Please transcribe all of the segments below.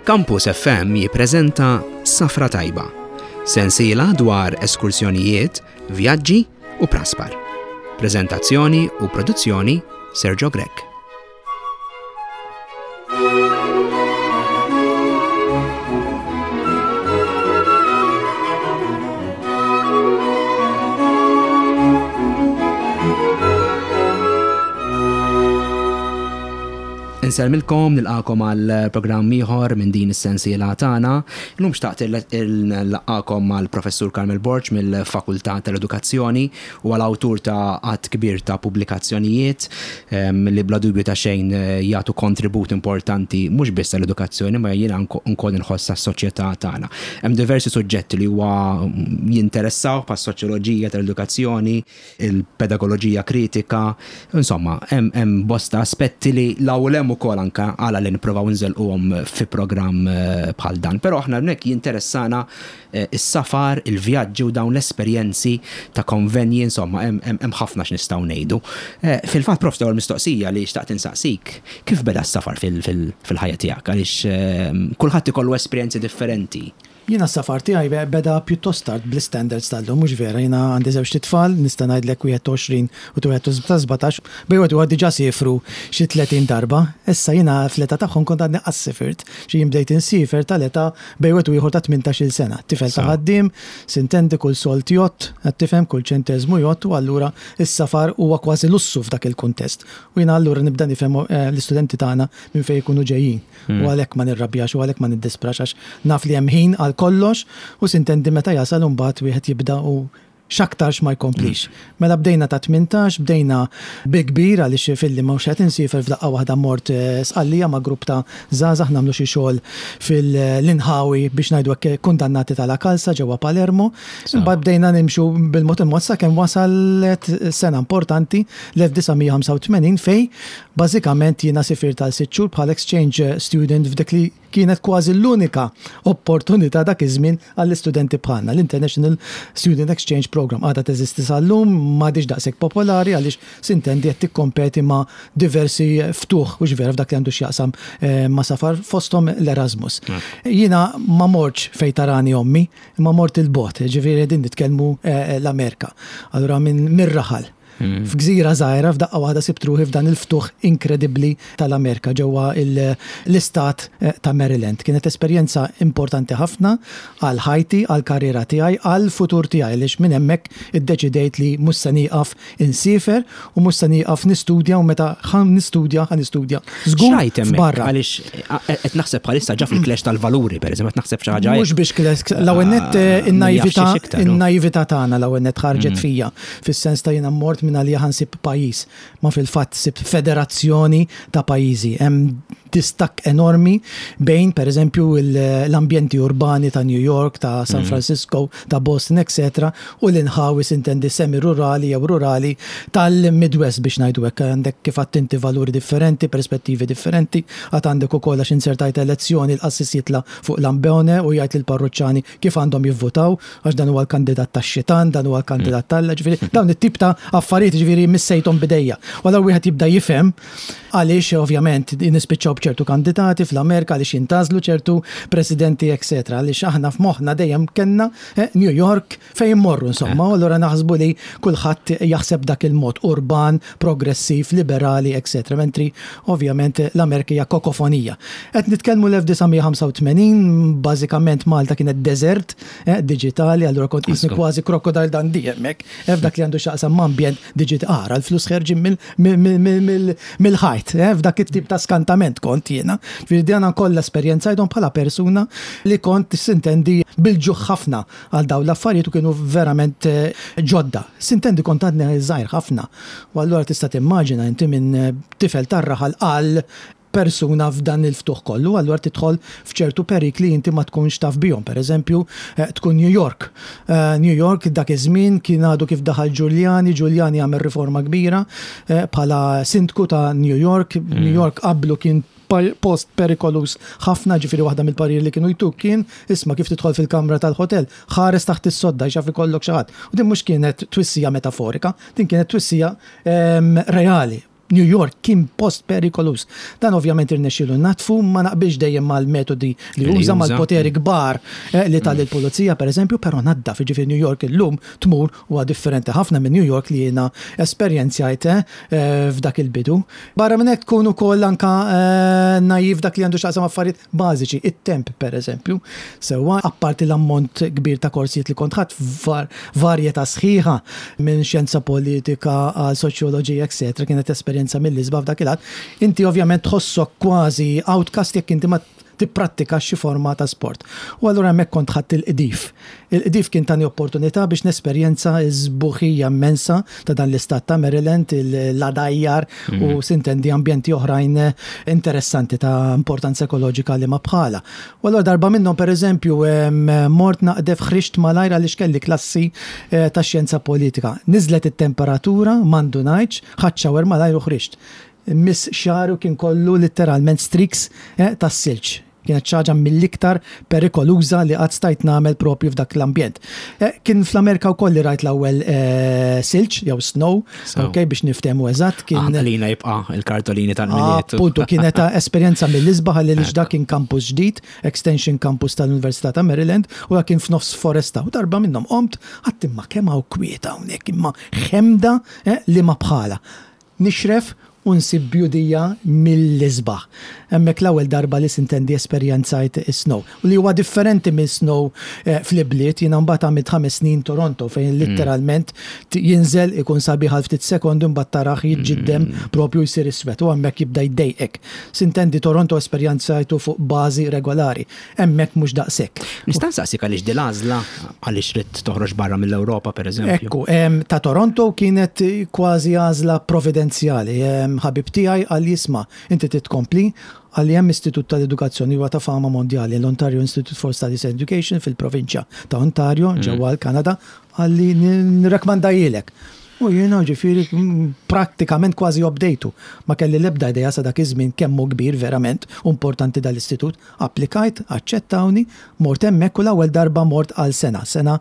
Campus FM jippreżenta Safra Tajba, sensiela dwar eskursjonijiet, vjaġġi u praspar. Preżentazzjoni u produzzjoni Sergio Grech. Insellmilkom, nilqakom għal programm ieħor minn din is-sensiela tagħna. Illum xtaqt nlaqgħakom mal-Professur Carmel Borg mill-Fakultà tal-Edukazzjoni u għal awtur ta' għadd kbir ta' pubblikazzjonijiet li bla dubju ta' xejn jagħtu kontribut importanti mhux biss għall-edukazzjoni ma jiena nkoll inħoss għas-soċjetà tagħna. Hemm diversi suġġetti li huwa jinteressaw bħas-soċjoloġija tal-edukazzjoni, il-pedagoloġija kritika, insomma, hemm bosta aspetti li 'l hawn u 'l hemm ukoll anke għala li nipprovaw inżelquhom fi programm bħal dan. Però aħna hawnhekk jinteressana is-safar, il-vjaġġi u dawn l-esperjenzi ta' konvenji, insomma, hemm ħafna x'nistgħu ngħidu. Fil-fatt, Prof, l-ewwel mistoqsija li xtaqt insaqsik, kif beda s-safar fil-ħajja tiegħek? Għaliex kulħadd ikollu esperjenzi differenti. Jiena s-safar tiegħi beda pjuttost tard bl-istandards tal-lum, mhux vera, jiena għandi żewġt itfal, nista' ngħidlek wieħed ta' 20 u wieħed ta' 17, bejn wieħed u ieħor diġà siefru xi 30 darba. Issa jiena fl-età tagħhom kont għadni qas sifirt, xi jien bdejt insiefer tal-età bejn wieħed u ieħor ta' 18-il sena. Tifel ta' ħaddiem, sintendi kull sold jgħodd, qed tifhem, kull ċenteżmu jgħodd u allura s-safar huwa kważi lussu f'dak il-kuntest. U jiena allura nibda nifhem l-istudenti tagħna minn fejn ikunu ġejjin. U għalhekk ma nirrabjax u għalhekk ma niddisprax għax naf li hemm ħin għal kollox u sintendi meta jasal u mbagħad wieħed jibda u x'aktarx ma jkomplix. Mela bdejna ta' 18, bdejna bi kbir għaliex filli mhux qed insiefer f'daqqa waħda mort Sqallija ma' grupp ta' żgħażagħ nagħmlu xi xogħol fil-inħawi biex ngħidu hekk kundannati ta' La Calza ġewwa Palermo. Imbagħad bdejna nimxu bil-mod il-mod sakemm wasalet sena importanti l-1985 fejn Bażikament jiena sifirt għal sitt xhur bħala exchange student f'dik li kienet kważi l-unika opportunità dak iż-żmien għall-istudenti bħalna. L-International Student Exchange Programme għadha teżisti sal-lum, m'għadhiex daqshekk popolari għaliex sintendi qed tikkompeti ma' diversi ftuħ, hux vera, f'dak li għandu x'jaqsam ma' safar, fosthom l-Erasmus. Jiena ma mortx fejn tarani ommi, imma mort 'il bogħod, jiġifieri qegħdin nitkellmu l-Amerika. Allura minn mir-raħal. F'gżira żgħira f'daqqa waħda sibt ruħi f'dan il-ftuħ inkredibbli tal-Amerika ġewwa l-istat ta' Maryland. Kienet esperjenza importanti ħafna għal ħajti, għall-karriera tiegħi, għall-futur tiegħi għaliex minn hemmhekk iddeċidejt li mhux se nieqaf insiefer u mhux se nieqaf nistudja u meta ħa nistudja ħa nistudja żgur X'rajt hemmhekk? f'barra. Għaliex qed naħseb bħalissa ġa fil-clash tal-valuri, pereżempju, qed naħseb xi ħaġa Mhux biex clash, l-ewwel nett in-naività in-naività tagħna l-ewwel nett ħarġet fija. Fis-sens ta' jiena mort minn għalija ħa nsib pajjiż, ma fil-fatt sibt federazzjoni ta' pajjiżi. Hemm distakk enormi bejn, per eżempju, l-ambjenti urbani ta' New York, ta' San Francisco, ta' Boston, etc. U l-inħawi sintendi semi-rurali jew rurali tal-Midwest biex ngħidu hekk. Għandek kif għedt inti valuri differenti, perspettivi differenti, għad għandek ukoll għax inzertajt elezzjoni l-qassis jitla' fuq l-ambone u jgħid lill-parruċċani kif għandhom jivvutaw, għax dan huwa l-kandidat tax-xitan, dan huwa l-kandidat t'Alla, ġifieri dawn it-tip ta' affarijiet ġifieri missejthom b'idejja. U allura wieħed jibda jifhem għaliex ovvjament nispiċċaw b'ċertu kandidati fl-Amerika, għaliex jintgħażlu ċertu presidenti, etc. Għaliex aħna f'moħħna dejjem kellna eh, New York fejn immorru insomma, u allura naħsbu li kulħadd jaħseb dak il-mod urban, progressiv, liberali, etc. Mentri ovvjament l-Amerika hija kokofonija. Qed nitkellmu l-1985, bażikament Malta kienet deżert eh, diġitali, allura kont qisni kważi Crocodile Dundee hemmhekk, eh, f'dak li għandu x'jaqsam ma' ambjent diġitali. Ara l-flus ħerġin mill-ħajt, eh, f'dak it-tip ta' skantament kont jiena. Ġifieri dana kollha esperjenzajthom bħala persuna li kont sintendi bil-ġuħ ħafna għal dawn l-affarijiet u kienu verament ġodda. Sintendi kont għadni żgħir ħafna. U allura tista' timmaġina inti minn tifel tar-raħal għal persuna f'dan il-ftuħ kollu, allura tidħol f'ċertu perikli inti ma tkunx taf bihom. Per eżempju, tkun New York. New York dak iż-żmien kien għadu kif daħal Giuliani, Giuliani għamel riforma kbira bħala sindku ta' New York. New York qablu kien post perikoluż ħafna, ġifieri waħda mill-pariri li kienu jtuk kien, isma' kif tidħol fil-kamra tal-ħotel, ħares taħt is-sodda għax jaf ikollok xi ħadd. U din mhux kienet twissija metaforika, din kienet twissija ehm, reali. New York kien post perikoluż. Dan ovvjament irnexxielu jnaddfu, ma naqbilx dejjem mal-metodi li uża, mal-poteri kbar li ta lill-pulizija pereżempju, però naddaf, jiġifieri New York illum tmur huwa differenti ħafna minn New York li jiena esperjenzjajt f'dak il-bidu. Barra minn hekk tkun ukoll anke naive f'dak li għandu x'jaqsam affarijiet bażiċi, it-temp pereżempju. Sewwa, apparti l-ammont kbir ta' korsijiet li kont ħadt f'varjetà sħiħa minn xjenza politika għal soċjoloġija etc. Kienet esperjenza mill-isbaħ f'dak il-għad. Inti ovvjament tħossok kważi outcast jekk inti ma tipprattikax xi forma ta' sport. U allura hemmhekk kont ħadt il-qdif. Il-qdif kien tani opportunità biex nesperjenza s-sbuħija immensa ta' dan l-istat ta' Maryland, l-għadajjar u sintendi ambjenti oħrajn interessanti ta' importanza ekoloġika li ma bħalha. U allura darba minnhom pereżempju mort naqdef ħriġt malajr għaliex kelli klassi ta' xjenza politika. Niżlet it-temperatura, ma ndunajtx, ħadt shower malajr u ħriġt. Miss xagħru kien kollu litteralment streaks tas-silġ. Kienet xi ħaġa mill-iktar perikoluża li qatt stajt nagħmel propju f'dak l-ambjent. Kien fl-Amerika wkoll li rajt l-ewwel silġ jew snow, ok, biex niftehmu eżatt. Kien Aħna lina jibqa' il-kartolini tal-Milied. Appuntu, kienet esperjenza mill-isbaħ għaliex dak kien campus ġdid, extension campus tal-Università ta' Maryland, u dak kien f'nofs foresta. U darba minnhom qomt, għedt imma kemm hawn kwiet hawnhekk, imma ħemda li ma bħalha. Nixref u nsib bjudija mill-isbaħ. Hemmhekk l-ewwel darba li sintendi esperjenzajt is-snow. U li huwa differenti mill-snow fl-ibliet, jiena mbagħad għamilt ħames snin Toronto fejn litteralment jinżel ikun sabiħ għal ftit sekondi mbagħad tarah jiġġiddem propju jsir iswed u hemmhekk jibda jdejqek. Sintendi Toronto esperjenzajtu fuq bażi regolari. Hemmhekk mhux daqshekk. Nista' nsaqsik għaliex din l-għażla? Għaliex ridt toħroġ barra mill-Ewropa, pereżempju? Ekku, ta' Toronto kienet kważi għażla providenzjali. Ħabib tiegħi qalli isma', inti trid tkompli? Qalli hemm istitut tal-edukazzjoni huwa ta' fama mondjali, l-Ontario Institute for Studies and Education fil-provinċja ta' Ontario, ġewwa l-Kanada, qalli nirrakmandajilek. U jiena ġifieri prattikament kważi obdejtu. Ma kelli l-ebda idea sa dak iż-żmien kemm hu kbir verament u importanti dal-istitut. Applikajt, aċċettawni, mort hemmhekk u l-ewwel darba mort għal sena, sena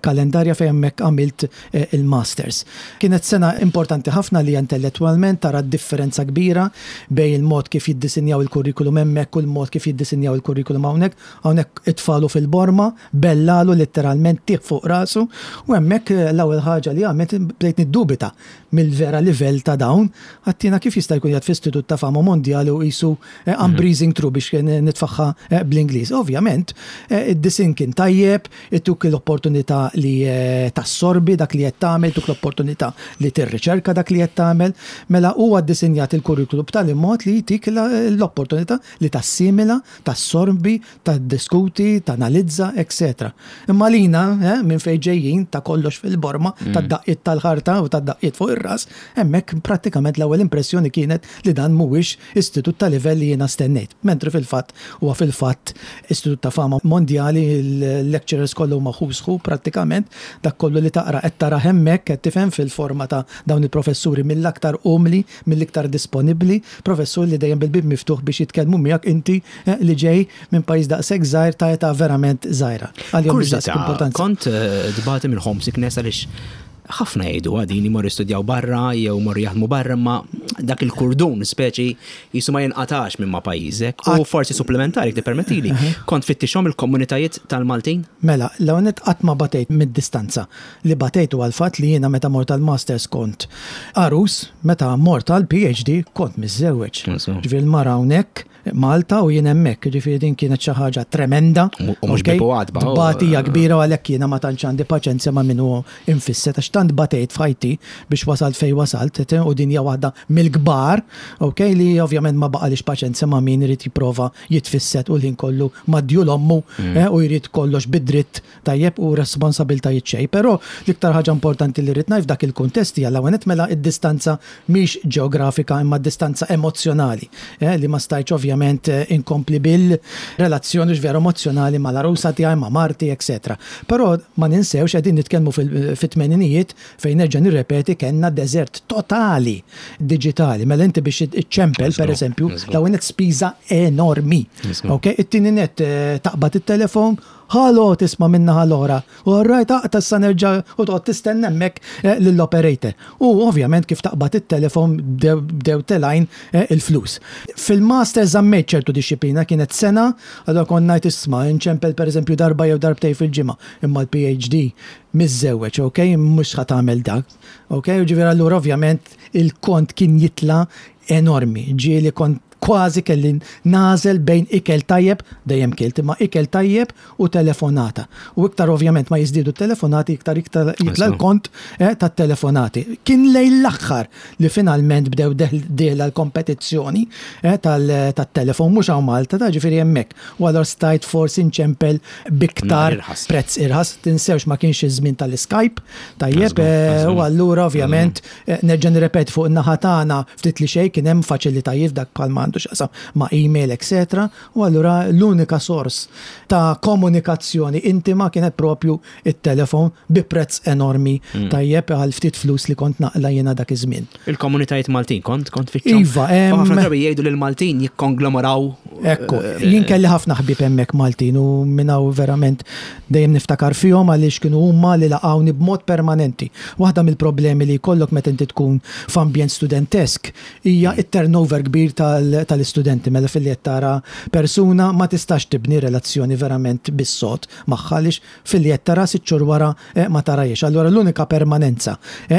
kalendarja fejn hemmhekk għamilt il-Masters. Kienet sena importanti ħafna għalija intellettwalment, tara d-differenza kbira bejn il-mod kif jiddisinjaw il-kurrikulum hemmhekk u l-mod kif jiddisinjaw il-kurrikulum hawnhekk. Hawnhekk itfagħlu fil-borma, bellalu litteralment tih fuq rasu u hemmhekk l-ewwel ħaġa li għamilt bdejt niddubita mill-vera livell ta' dawn, għedt jiena kif jista' jkun qiegħed f'istitut ta' fama mondjali u qisu I'm breezing through biex nitfagħha bl-Ingliż. Ovvjament, id-disinn kien tajjeb, ituk l-opportunità li tassorbi dak li qed tagħmel, ituk l-opportunità li tirriċerka dak li qed tagħmel. Mela huwa ddisinjat il-kurrikulu b'tali mod li jtik l-opportunità li tassimila, tassorbi, Tiddiskuti, tanalizza, etc. Imma lina, minn fejn ġejjin, ta' kollox fil-borma, tad-daqqiet tal-ħarta u tad-daqqiet fuq ir-ras, hemmhekk prattikament l-ewwel impressjoni kienet li dan mhuwiex istitut ta' livell li jiena stennejt. Mentri fil-fatt huwa fil-fatt istitut ta' fama mondjali, il-lecturers kollha huma who's who prattikament, dak kollu li taqra qed tarah hemmhekk, qed tifhem, fil-forma ta' dawn il-professuri mill-aktar umli, mill-iktar disponibbli, professur li dejjem bil-bieb miftuħ biex jitkellmu miegħek inti li ġej minn pajjiż daqshekk żgħir ta' età verament żgħira. Għalihom mhux daqshekk importanza. Kont tbati minn homesickness għaliex ħafna jgħidu din imorru jistudjaw barra jew imorru jaħdmu barra imma dak il-kurdun speċi jisu ma jinqatax minn ma' pajjiżek. U forsi supplementari tippermettili. Kont fittixhom il-komunitajiet tal-Maltin? Mela, l-ewwel nett qatt ma batejt mid-distanza. Li batejt huwa l-fatt li jiena meta mort għall-Masters kont għarus, meta mort għall-PhD kont miżżewweġ. Ġifieri l-mara hawnhekk Malta u jien hemmhekk, jiġifieri din kienet xi ħaġa tremenda. U mhux bieb u għatba. Tbatija kbira u għalhekk jiena ma tantx għandi paċenzja ma' min hu imfisset għax tant batejt f'ħajti biex wasalt fejn wasalt u din hija waħda mill-kbar, ok, li ovvjament ma baqalix paċenzja ma' min irid jipprova jitfisset u l-ħin kollu mad-djul ommu u jrid kollox bi dritt tajjeb u responsabiltajiet xejn. Però l-iktar ħaġa importanti li rrid ngħid f'dak il-kuntest hija l-ewwel nett mela d-distanza mhix ġeografika imma d-distanza emozzjonali li ma stajtx ovvjament inkompli bil-relazzjoni vera emozzjonali mal-għarusa tiegħi, ma' marti, etc. Però ma ninsewx qegħdin nitkellmu fit-tmeninijiet fejn nerġa' nirrepeti kellna deżert totali diġitali. Mela inti biex iċċempel pereżempju, l-ewwel nett spiża enormi. Ok, it-tieni nett taqbad it-telefon. Ħalo tisma' min-naħa l-oħra. All right, aqta' issa nerġa' u toqgħod tistenna hemmhekk eh, lill-operator. U ovvjament kif taqbad it-telefon bdew telgħin eh, il-flus. Fil-master żammejt ċertu dixxiplina kienet sena, allura kont ngħid isma' inċempel pereżempju darba jew darbtejn fil-ġimgħa, imma l-PhD miżżewweġ, ok, mhux ħa tagħmel dak. Ok, ġifieri allura ovvjament il-kont kien jitla' enormi. Ġieli kont kważi kelli nagħżel bejn ikel tajjeb, dejjem kilt, imma ikel tajjeb u telefonata. U iktar ovvjament ma jiżdiedu t-telefonati, iktar iktar jitla' l-kont eh, tat-telefonati. Kien lejn l-aħħar li finalment bdew dieħla l-kompetizzjoni eh, tat-telefon mhux hawn Malta, ta' ġifieri hemmhekk. U allura stajt forsi nċempel b'iktar prezz irħas. Tinsewx ma kienx iż-żmien tal-Skype, tajjeb, eh, u allura ovvjament Nerġa' nirrepeti fuq in-naħa tagħna ftit li xejn kien hemm faċilitajiet f'dak bħal ma għandu x'jaqsam ma' email etc. U allura l-unika sors ta' komunikazzjoni intima kienet propju it-telefon bi prezz enormi mm. tajjeb għal ftit flus li kont naqla jiena dak iż-żmien. Il-komunitajiet Maltin kont kont fiċċhom. Iva, ħafna drabi jgħidu li l-Maltin jikkonglomeraw. Ekku, eh, jien kelli ħafna ħbieb hemmhekk Maltin u minn hawn verament Dejjem niftakar fihom għaliex kienu huma li laqgħuni b'mod permanenti. Waħda mill-problemi li jkollok meta inti tkun f'ambjent studentesk hija t-turnover kbir tal-istudenti. Mela filli qed tara persuna ma tistax tibni relazzjoni verament bis-sod magħha għaliex filli qed tara sitt xhur wara ma tarahiex. Allura l-unika permanenza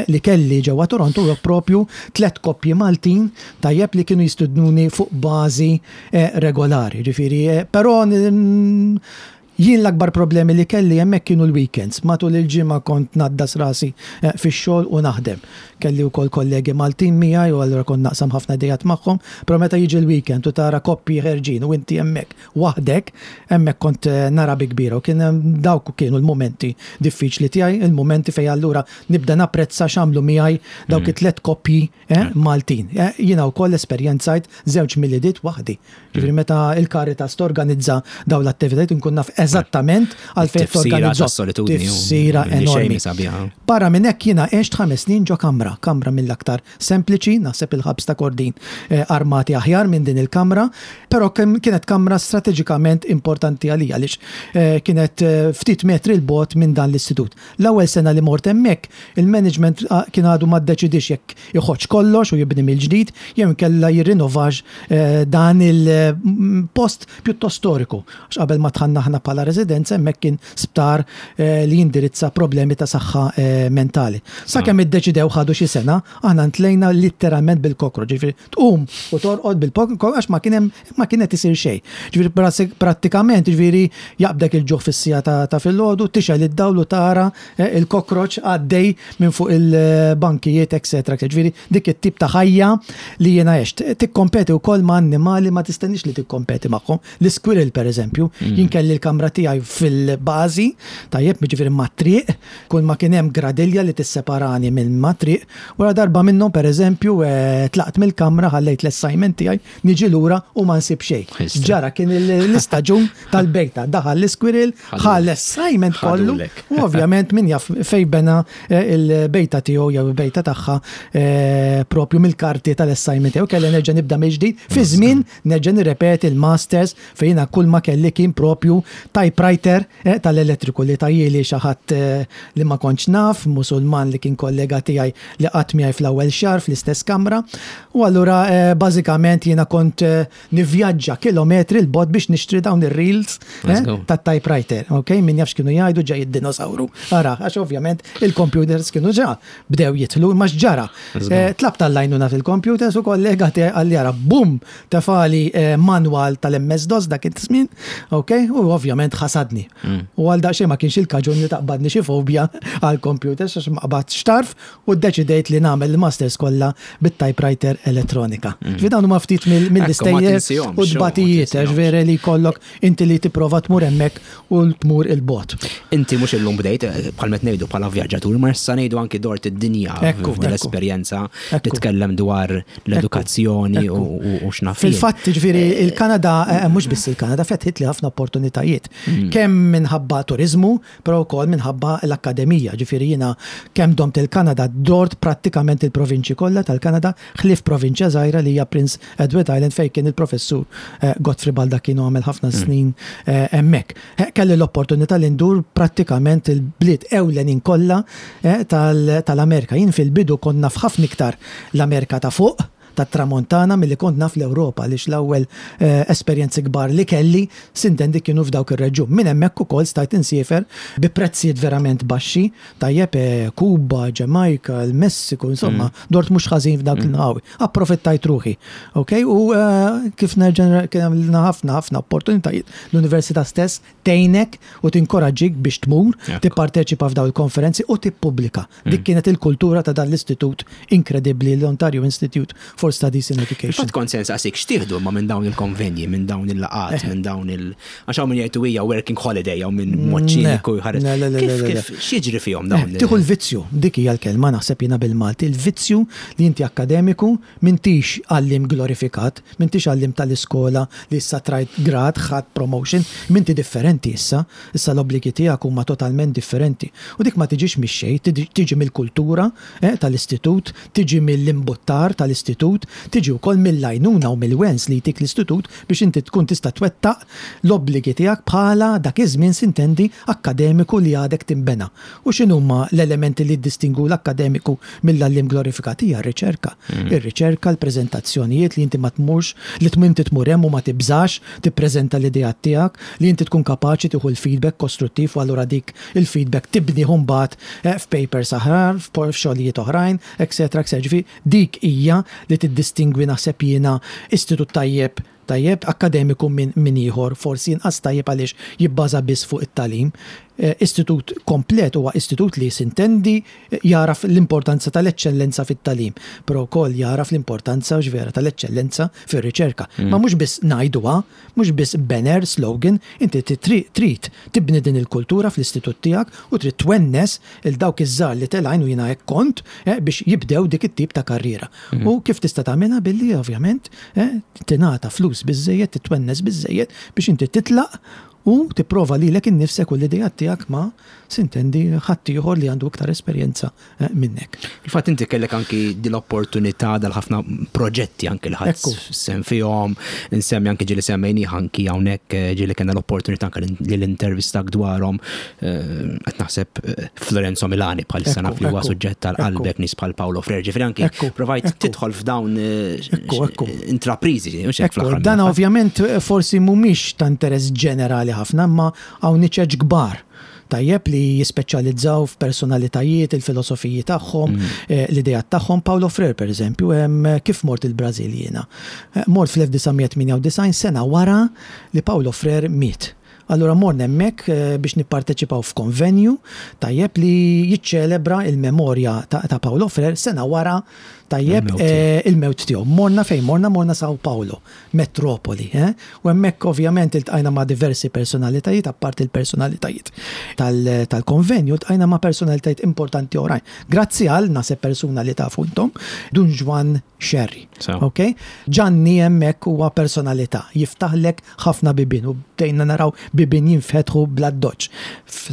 li kelli ġewwa Toronto huwa proprju tlett koppji Maltin tajjeb li kienu jistidnuni fuq bażi regolari. Jiġifieri, però Jien l-akbar problemi li kelli hemmhekk kienu l-weekends. Matul il-ġimgħa kont ngħaddas rasi fix-xogħol u naħdem. Kelli wkoll kollegi Maltin miegħi u allura kont naqsam ħafna ideat magħhom, però meta jiġi l-weekend u tara koppji ħerġin u inti hemmhekk waħdek, hemmhekk kont nara bi kbira u kien dawk kienu l-mumenti diffiċli tiegħi, il-mumenti fejn allura nibda napprezza x'għamlu miegħi dawk it-tlett koppji Maltin. Jiena wkoll esperjenzajt żewġ Miliediet waħdi. Ġifieri mm. meta il-Caritas torganizza dawn l-attivitajiet inkun naf eżattament għalfejn torganizza. Tifsira enormi. Barra minn hekk jiena għext ħames snin ġo kamra, kamra mill-aktar sempliċi, naħseb il-ħabs ta' Kordin eh, armati aħjar minn din il-kamra, però kienet kamra strateġikament importanti għalija għaliex eh, kienet eh, ftit metri l-bot minn dan l-istitut. L-ewwel sena li mort hemmhekk, il-management kien għadu ma ddeċidiex jekk iħottx kollox u jibni mill-ġdid jew inkella jirrinovax dan il-post pjuttost storiku. Għax qabel ma dħalna aħna bħala residenza hemmhekk kien sptar li jindirizza problemi ta' saħħa mentali. Sakemm iddeċidew ħadu xi sena, aħna ntlejna litteralment bil-kokro, ġifieri tqum u torqod bil-kokro għax ma kien hemm ma kien qed isir xejn. Ġifieri prattikament ġifieri jaqbdek il-ġuħ fis-siegħa ta' filgħodu, tixgħel id-dawl u tara eh, il-kokroċ għaddej minn fuq il-bankijiet, etc. Ġifieri dik it-tip ta' ħajja li jiena għext. Tikkompeti wkoll ma' annimali ma tistenniex li tikkompeti magħhom. L-isquirrel pereżempju, mm. jien kelli l-kamra tiegħi fil-bażi, tajjeb, ġifieri mat-triq, kull ma kien hemm gradilja li tisseparani minn mat-triq, wara darba minnhom pereżempju eh, tlaqt mill-kamra ħallejt l-assignment tiegħi Niġi lura u ma nsib xejn. Ġara kien l-istaġun tal-bejta. Daħal l-isquirrel, ħa l-assignment kollu. U ovvjament min jaf fej bena eh, il-bejta tiegħu jew il-bejta tagħha eh, propju mill-karti tal-assignment tiegħu. Kelli nerġa' nibda mill-ġdid. Fi żmien nerġa' nirrepeti l-masters fejn kull ma kelli kien propju typewriter eh, tal-elettriku li tajjeli xi ħadd li ma kontx naf, Musulman li kien kollega tiegħi li qatt miegħi fl-ewwel xahar fl-istess kamra. U allura eh, bażikament jiena kont eh, nivvjaġġa kilometri 'l bogħod biex nixtri dawn ir-reels eh, tat-typewriter. Ok, min jaf x'kienu jgħidu ġej id-dinosawru. Ara, għax ovvjament il-computers kienu ġa bdew jidħlu, ma x'ġara. Tlab tal-lajnuna fil-computers u kollega tiegħi qalli ara, bum, tefali manwal tal-MS-DOS dak iż-żmien, ok, u ovvjament ħasadni. Mm. U għal daqsxejn ma kienx il-kaġun li taqbadni xi fobja għal-computers għax ma qbadx tarf u ddeċidejt li nagħmel il-masters kollha bit-typewriter elettronika. Mm. Ġifieri dawn huma ftit mill-istejjer u tbatijiet, ġifieri li jkollok inti li tipprova tmur hemmhekk u tmur il-bot. Inti mhux illum bdejt eh, bħal meta ngħidu bħala vjaġġatur, ma issa ngħidu anki dort id-dinja l-esperjenza titkellem dwar l-edukazzjoni u x'naf. Fil-fatt, ġifieri il-Kanada, eh, mhux biss il-Kanada, fetħit li ħafna opportunitajiet. Kemm minħabba turiżmu, però wkoll minħabba l-akkademija. Ġifieri jiena kemm domt il-Kanada dort prattikament il-provinċji kollha tal-Kanada ħlief provinċja żgħira li hija Prince Edward Island fejn kien il-professur Godfrey Baldacchino għamel ħafna snin hemmhekk. Kelli l-opportunità li ndur prattikament il-bliet ewlenin kollha tal-Amerika. Jien fil-bidu kont naf ħafna iktar l-Amerika ta' fuq, tat-Tramuntana milli kont naf l-Ewropa għaliex l-ewwel esperjenzi kbar li kelli sintendi kienu f'dawk ir-reġjun. Minn hemmhekk ukoll stajt insiefer bi prezzijiet verament baxxi, tajjeb, Kuba, Ġamajka, il-Messiku, insomma, dort mhux ħażin f'dawk l-inħawi. Approfittajt ruħi. Ok, u kif nerġa' kien hemm ħafna ħafna opportunitajiet. L-università stess tgħinek u tinkoraġġik biex tmur, tipparteċipa f'dawn il-konferenzi u tippubblika. Dik kienet il-kultura ta' dan l-istitut inkredibbli, l-Ontario Institute for Studies in Education. Fil-fatt kont se nsaqsik x'tieħdu imma minn dawn il-konvenji, minn dawn il-laqgħat, minn dawn il- għax hawn min jgħid hija working holiday hawn min b'mod ċiniku jħares. Kif x'jiġri fihom dawn? Tieħu l-vizzju, dik hija l-kelma naħseb jiena bil-Malti, il-vizzju li inti akkademiku m'intix għalliem glorifikat, m'intix għalliem tal-iskola li issa trajt grad, ħadt promotion, m'inti differenti issa, issa l-obbligi tiegħek huma totalment differenti. U dik ma tiġix mix-xejn, tiġi mill-kultura tal-istitut, tiġi mill-imbuttar tal-istitut, tiġi wkoll mill-għajnuna u mill-wens li jtik l-istitut biex inti tkun tista' twettaq l-obbligi tiegħek bħala, dak iż-żmien sintendi, akkademiku li għadek tinbena. U x'inhuma l-elementi li jiddistingwu l-akkademiku mill-għalliem glorifikat? Hija r-riċerka. Ir-riċerka, l-preżentazzjonijiet li inti ma tmurx, li inti tmur hemm u ma tibżax tippreżenta l-ideat tiegħek, li inti tkun kapaċi tieħu l-feedback kostruttiv u allura dik il-feedback tibnih imbagħad f'papers aħrar, f'xogħlijiet oħrajn, etcetera, etcetera. Ġifieri dik hija li tiddistingwi naħseb jiena istitut tajjeb tajjeb akkademiku minn min ieħor forsi inqas tajjeb għaliex jibbaża biss fuq it-tagħlim. Istitut komplet huwa istitut li sintendi jagħraf l-importanza tal-eċċellenza fit-tagħlim, però wkoll jagħraf l-importanza vera tal-eċċellenza fir-riċerka. Ma mhux biss ngħiduha, mhux biss banner, slogan, inti trid tibni din il-kultura fl-istitut tiegħek u trid twennes il dawk iż-żgħar li telgħin u jiena hekk kont biex jibdew dik it-tip ta' karriera. U kif tista' tagħmilha billi ovvjament tingħata flus biżżejjed, titwennes biżżejjed biex inti titlaq u tipprova lilek innifsek u l-ideat tiegħek ma' sintendi ħaddieħor li għandu iktar esperjenza minnek. Il-fatt inti kellek anki din l-opportunità dal-ħafna proġetti anki li ħadd sem fihom, insemmi anki ġieli semmejni anki hawnhekk ġieli kellna l-opportunità anki li l-intervistak dwarhom qed naħseb Florenzo Milani bħalissa naf li huwa suġġett tal-qalbek nies bħal Paolo Freire, ġifieri anki provajt tidħol f'dawn intrapriżi. Dan ovvjament forsi mhumiex ta' interess ġenerali ħafna, imma hawn niċeċ kbar tajjeb li jispeċjalizzaw f'personalitajiet, il-filosofiji tagħhom, l-ideat tagħhom. Paolo Freire, per eżempju, kif mort il-Brażil jiena? Mort fl-1998 sena wara li Paolo Freire miet. Allura morna hemmhekk biex nipparteċipaw f'konvenju tajjeb li jiċċelebra il-memorja ta' Paolo Freire sena wara tajjeb il-mewt tiegħu. Morna fejn morna, morna Sao Paulo, metropoli. U hemmhekk ovvjament iltqajna ma' diversi personalitajiet, apparti l-personalitajiet tal-konvenju, iltqajna ma' personalitajiet importanti oħrajn. Grazzi għal naħseb persuna li tafu intom, Dun Juan Scerri. Ok? Ġanni hemmhekk huwa personalità, jiftaħlek ħafna bibien u bdejna naraw bibien jinfetħu bl-addoċċ.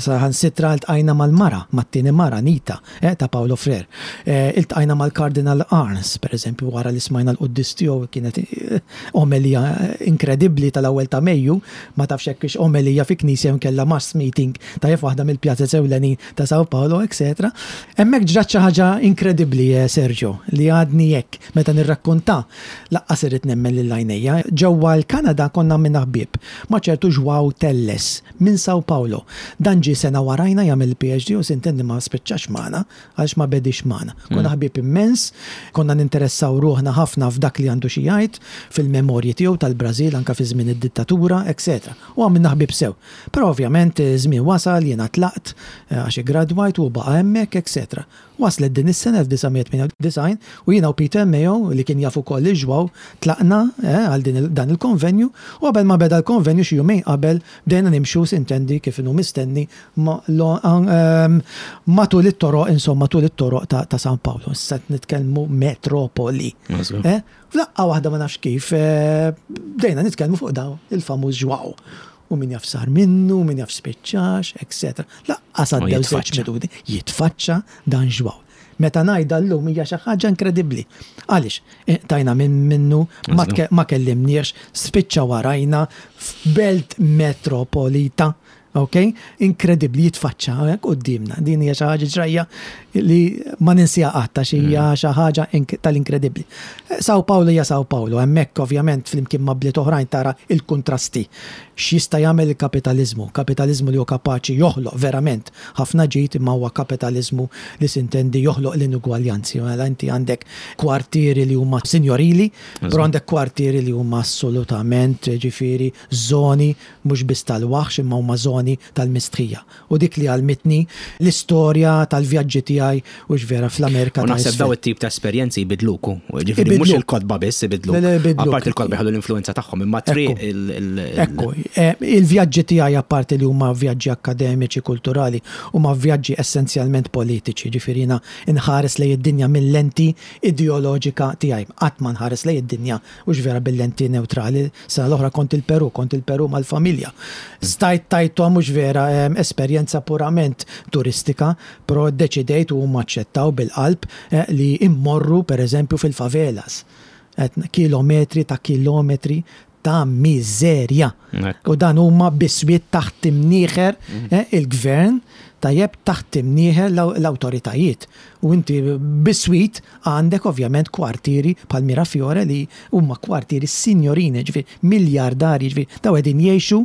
Saħansitra ltqajna mal-mara, mat-tieni mara, Nita, ta' Paolo Freire. Iltqajna mal-Kardinal Arns, per eżempju, wara li smajna l-quddies tiegħu kienet omelija inkredibbli tal-ewwel ta' Mejju, ma tafx hekk hix omelija fi knisja jew inkella mass meeting tajjeb f'waħda mill-pjazez ewlenin ta' Sao Paulo, etc. Hemmhekk ġrat xi ħaġa inkredibbli, Sergio, li għadni hekk meta nirrakkonta laqqas irrid nemmen lil għajnejja. Ġewwa l-Kanada konna għamilna ħbieb ma' ċertu João Telles minn Sao Paulo. Dan ġie sena warajna jagħmel il-PhD u sintendi ma spiċċax magħna għaliex ma bediex magħna. Konna ħbieb immens, konna ninteressaw ruħna ħafna f'dak li għandu xi jgħid, fil-memorji tiegħu tal-Brażil anke fi żmien id-dittatura, etc. U għamilna ħbieb sew. Però ovvjament iż-żmien wasal, jiena tlaqt għax iggradwajt u hu baqa' hemmhekk, etc. Waslet din is-sena 1998 u jiena u Peter Mayo, li kien jaf ukoll lil João, tlaqna għal din dan il-konvenju u qabel ma beda l-konvenju xi jumejn qabel bdejna nimxu sintendi kif inhu mistenni matul it-toroq insomma tul it-toroq ta' San Paolo. Issa qed nitkellmu metropoli. F'daqqa waħda ma nafx kif bdejna nitkellmu fuq dawn il-famuż João. U min jaf sar minnu, min jaf spiċċax, etc. Laqqas għaddew żewġ minuti, jitfaċċa dan João. Meta ngħidha llum hija xi ħaġa inkredibbli. Għaliex? Tajna minn minnu, ma kellimniex, spiċċa warajna f'belt metropolita Ok? Inkredibbli jitfaċċa hawnhekk quddiemna. Din hija xi ħaġa ġrajja li ma ninsiha qatt għax hija mm. xi ħaġa tal-inkredibbli. Sao Paulo hija Sao Paulo, hemmhekk ovvjament flimkien ma' bliet oħrajn tara il-kuntrasti. X'jista' jagħmel il-kapitaliżmu? Kapitaliżmu li hu kapaċi joħloq verament ħafna ġid imma huwa kapitaliżmu li sintendi joħloq l-inugwaljanzi. Mela inti għandek kwartieri li huma sinjorili, però għandek kwartieri li huma assolutament ġifieri żoni mhux biss tal-waħx imma huma żoni tal-mistħija. U dik li għallmitni l-istorja tal-vjaġġi tiegħi hux vera fl-Amerika ta' Isfel. U naħseb dawn it-tip ta' esperjenzi jbiddluk hu. Ġifieri mhux il-kotba biss ibiddluk. Le, le, jbiddluk. Apparti il-kotba jħallu l-influwenza tagħhom imma t-triq il. Ekku, il-vjaġġi tiegħi apparti li huma vjaġġi akkademiċi, kulturali, huma vjaġġi essenzjalment politiċi. Ġifieri jiena nħares lejn id-dinja mil-lenti ideoloġika tiegħi. Qatt ma nħares lejn id-dinja Hux vera bil-lenti newtrali. Sena l-oħra kont il-Peru, kont il-Peru mal-familja. Stajt tajthom hux vera esperjenza purament turistika, però ddeċidejt u huma aċċettaw bil-qalb li immorru pereżempju fil-favelas. Kilometri ta' kilometri ta' miżerja. U dan huma biswiet taħt imnieħer il-gvern, tajjeb, taħt imnieħer l-awtoritajiet. U inti biswit għandek ovvjament kwartieri bħal Mirafiore li huma kwartieri sinjorini, ġifieri miljardarji, ġifieri dawn qegħdin jgħixu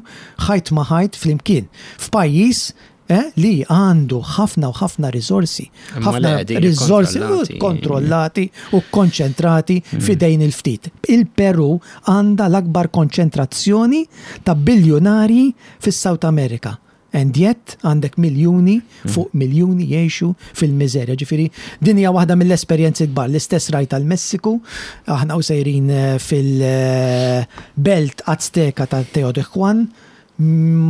ħajt ma' ħajt flimkien. F'pajjiż eh, li għandu ħafna u ħafna riżorsi, ħafna riżorsi kontrollati u konċentrati mm. f'idejn il-ftit. Il-Peru għandha l-akbar konċentrazzjoni ta' biljunarji fis-South America. And yet għandek miljuni fuq miljuni jgħixu fil-miżerja. Ġifieri din hija waħda mill-esperjenzi kbar. L-istess rajt għall-Messiku, aħna u sejrin fil-belt Azteka ta' Teotihuacan,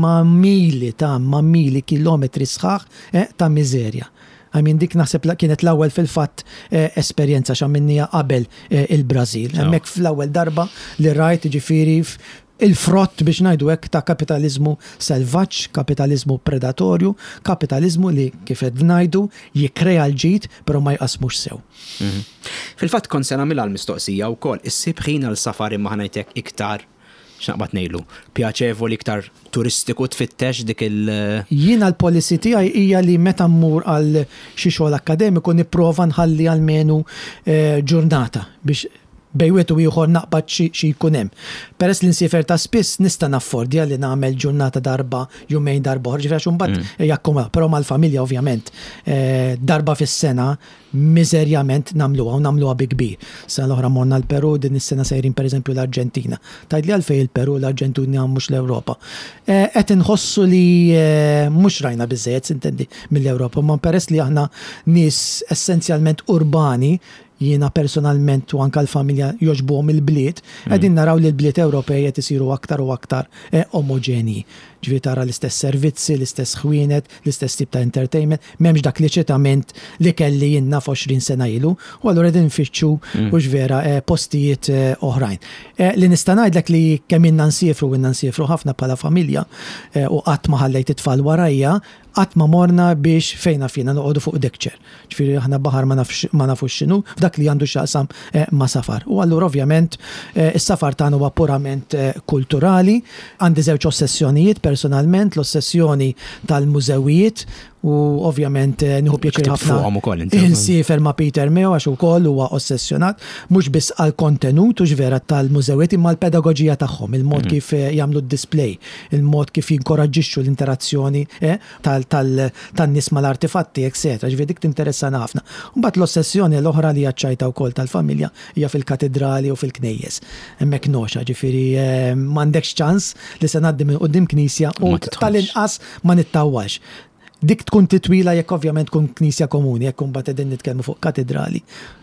ma' mili ta' ma' mili kilometri sħaħ ta' miżerja. I mean dik naħseb kienet l-ewwel fil-fatt esperjenza x'għamilniha qabel il-Brażil. Hemmhekk fl-ewwel darba li rajt ġifieri Il-frott, biex ngħidu hekk, ta' kapitaliżmu selvaġġ, kapitaliżmu predatorju, kapitaliżmu li, kif qed ngħidu, jikkrea l-ġid però ma jqassmux sew. Fil-fatt kont se nagħmilha l-mistoqsija wkoll, issib ħin għal safar imma ħa ngħid hekk iktar, x'naqbad ngħidlu, pjaċevoli, iktar turistiku tfittex dik il-. Jiena l-policy tiegħi hija li meta mmur għal xi xogħol akkademiku nipprova nħalli almenu ġurnata biex Bejn wieħed u ieħor naqbad xi xi jkun hemm. Peress li nsiefer ta' spiss nista' naffordja li nagħmel ġurnata darba, jumejn darba oħra, ġifieri għax imbagħad jakkumula. Però mal-familja ovvjament darba fis-sena miżerjament nagħmluha u nagħmluha bi kbir. Sena l-oħra morna l-Peru, din is-sena sejrin pereżempju l-Arġentina. Tgħidli għalfejn il-Peru, l-Arġentina mhux l-Ewropa. Qed inħossu li mhux rajna biżżejjed sintendi mill-Ewropa, imma peress li aħna nies essenzjalment urbani, jiena personalment u anke l-familja jogħġbuhom il-bliet, qegħdin naraw li l-bliet Ewropej qed isiru aktar u aktar omoġenji. Ġifieri tara l-istess servizzi, l-istess ħwienet, l-istess tip ta' entertainment, m'hemmx dak l-eċitament li kelli jien naf 20 sena ilu, u allura qegħdin nfittxu hux vera postijiet oħrajn. Li nista' ngħidlek li kemm ilna nsiefru, ilna nsiefru ħafna bħala familja u qatt ma ħallejt it-tfal warajja, Qatt ma morna biex fejn naf jiena noqogħdu fuq deck chair. Ġifieri aħna baħar ma nafx ma nafux x'inhu f'dak li għandu x'jaqsam ma' safar. U allura ovvjament is-safar tagħna huwa purament kulturali. Għandi żewġ ossessjonijiet personalment, l-ossessjoni tal-mużewijiet u ovvjament nieħu pjaċir ħafna insiefer ma' Peter Meo għax ukoll huwa ossessjonat mhux biss għall-kontenut hux vera tal-mużewijiet imma l-pedagoġija tagħhom, il-mod kif jagħmlu d-display. il-mod kif jinkoraġġixxu l-interazzjoni tan-nies mal-artifatti, etcetera. Ġifieri dik tinteressana ħafna. Mbagħad l-ossessjoni l-oħra li hija ċ-ċajta wkoll tal-familja hija fil-katidrali u fil-knejjes. Hemmhekk noxa, ġifieri m'għandekx ċans li se ngħaddi minn quddiem knisja u tal-inqas ma nittawwalx. Dik tkun titwila jekk ovvjament tkun knisja komuni, jekk imbagħad qegħdin nitkellmu fuq katidrali.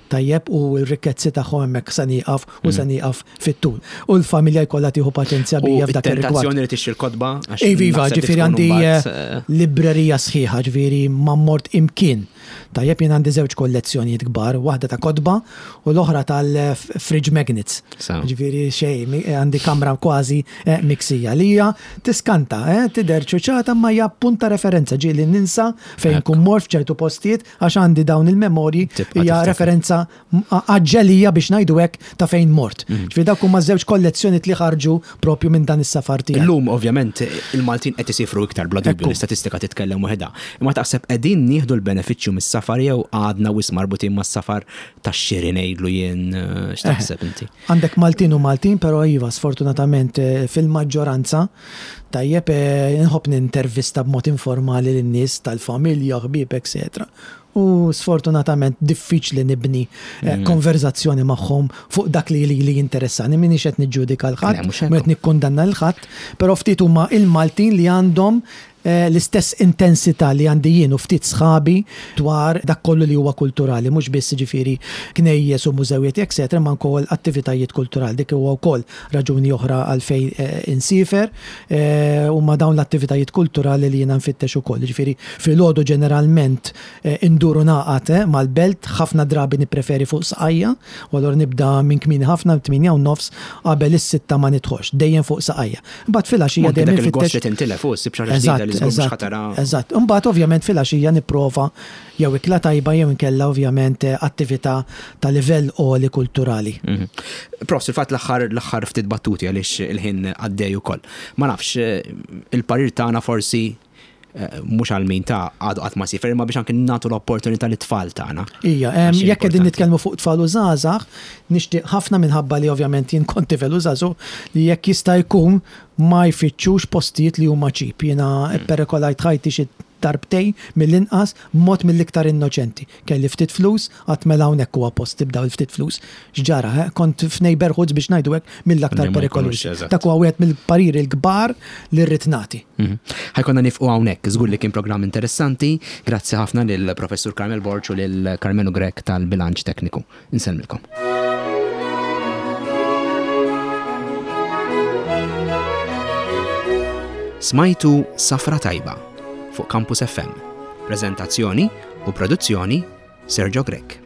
Tajjeb u r-rikkezzi tagħhom hemmhekk se nieqaf u se nieqaf fit-tul. U l-familja jkollha tieħu paċenzja bija f'dak ir-rigward. U t-tentazzjoni li tixtri l-kotba? Iva, iva, ġifieri għandi librerija sħiħa, ġifieri ma mort imkien. Tajjeb jien għandi żewġ kollezzjonijiet kbar, waħda ta' kotba u l-oħra tal-fridge magnets. Ġifieri xejn, għandi kamra kważi eh, miksija li hija tiskanta, eh, tidher ċuċata ma hija punt ta' referenza ġieli ninsa fejn kun mor f'ċertu postijiet għax għandi dawn il-memorji hija referenza għaġġelija biex ngħidu hekk ta' fejn mort. Mhm. Ġifieri dawk huma żewġ kollezzjonijiet li ħarġu propju minn dan is-safar tiegħi. Illum ovvjament il-Maltin qed isifru iktar bla dubju l-istatistika titkellem waħedha. Imma taħseb qegħdin nieħdu l-benefiċċju mis-safar jew għadna wisq marbutin mas-safar tax-xiri ngħidlu jien eh, x'taħseb inti? Għandek Maltin u Maltin, però iva sfortunatament eh, fil-maġġoranza tajjeb eh, nħobb nintervista b'mod informali lin-nies tal-familja, ħbieb, etc. U sfortunatament diffiċli nibni eh, mm. konverzazzjoni magħhom fuq dak li li jinteressani. Minix qed niġġudika l-ħadd, mhux qed nikkundanna l-ħadd, però ftit huma il-Maltin li għandhom eh, l-istess intensità li għandi jien u ftit sħabi dwar dak kollu li huwa kulturali, mhux biss ġifieri knejjes u mużewijiet, etc., ma wkoll attivitajiet kulturali. Dik huwa wkoll raġuni oħra għalfejn eh, insifer eh, huma dawn l-attivitajiet kulturali li jiena nfittex ukoll. Ġifieri filgħodu ġeneralment eh, induru naqat mal-belt, ħafna drabi nippreferi fuq saqajja, u allura nibda minn kmieni ħafna, 8 u nofs qabel is-sitta ma nidħolx, dejjem fuq saqajja. Imbagħad filgħaxija dejjem infittex. Li tintilef u ssib xi ġdida li żgur ħatara. Eżatt. Imbagħad ovvjament filgħaxija nipprova jew ikla tajba jew inkella ovvjament attività ta' livell għoli kulturali. Mhm. Prof, fil-fatt l-aħħar l-aħħar ftit battuti għaliex il-ħin għaddej ukoll. Ma nafx, il-parir tagħna forsi eh, mhux għal min ta' għadu qatt ma sifer, imma biex anke nagħtu l-opportunità lit-tfal tagħna. Ija, jekk qegħdin nitkellmu fuq tfal u żgħażagħ, nixtieq ħafna minħabba li ovvjament jien kont tifel u żagħżugħ li jekk jista' jkun ma jfittxux postijiet li huma ċip. Jiena hmm. perikolajt ħajti xi darbtejn mill-inqas b'mod mill-iktar innoċenti. Kelli ftit flus, għedt mela hawnhekk huwa post tibda ftit flus. X'ġara, eh? kont f'neighborhoods biex ngħidu hekk mill-aktar perikolużi. Dak huwa wieħed mill-pariri l-kbar li rrid nagħti. Mhm. Ħa jkollna nieqfu hawnhekk, żgur li kien programm interessanti. Grazzi ħafna lil Professur Carmel Borg u lil Carmenu Grech tal-Bilanċ Tekniku. Insellmilkom. Smajtu Safra Tajba fuq Campus FM. Prezentazzjoni u produzzjoni Sergio Grech.